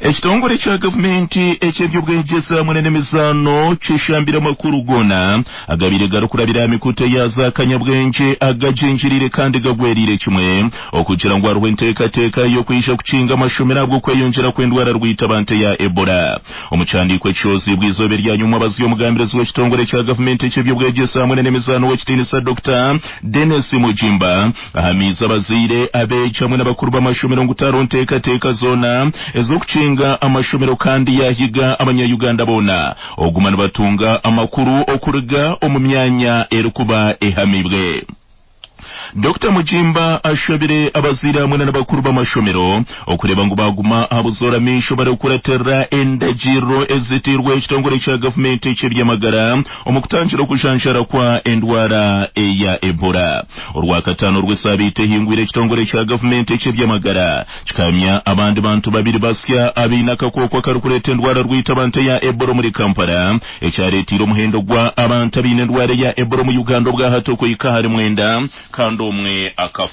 Ekitongore kya gavumenti eky'ebyobwegyese hamwe n'emizaano kishambire amakuru goona agabaire garikurabira aha mikutu eya zaakanyabwengye agagyingiriire kandi gagweriire kimwe okugira ngu hariho enteekateeka y'okwija kukinga amashomero ahabw'okweyongyera kw'endwara rwitabantu eya Ebola. Omu kihandiiko ekishohoziibwe eizooba eryanyuma abazi omugambirizi w'ekitongore kya gavumenti eky'ebyobwegyese hamwe n'emizaano ow'ekitiinisa Dokita Denis Mugimba ahamiize abazaire, abeegi hamwe n'abakuru b'amashomero ngu tihariho nteekateeka zoona ez'okukinga amashomero kandi yaahiga abanya-Uganda boona okuguma nibatunga amakuru okuruga omu myanya erikuba ehamibwe. Dokita Mugimba ashabire abazaire hamwe n'abakuru b'amashomero okureeba ngu baaguma aha buzoora maisho barikukuratirira endagiriro eziteirweho ekitongore kya gavumenti eky'eby'amagara omu kutangira okujanjaara kwa endwara eya Ebola. Orwakataano rw'esaabiiti ehingwire ekitongore kya gavumenti eky'eby'amagara kikahamya abandi bantu babiri basya abaine akakooko akarikureeta endwara rwitabantu eya Ebola omuri Kampala ekyareeteire omuhendo gwa abantu abaine endwara eya Ebola omu Uganda obwahati okuhika ahari mwenda kandi omwe akafa.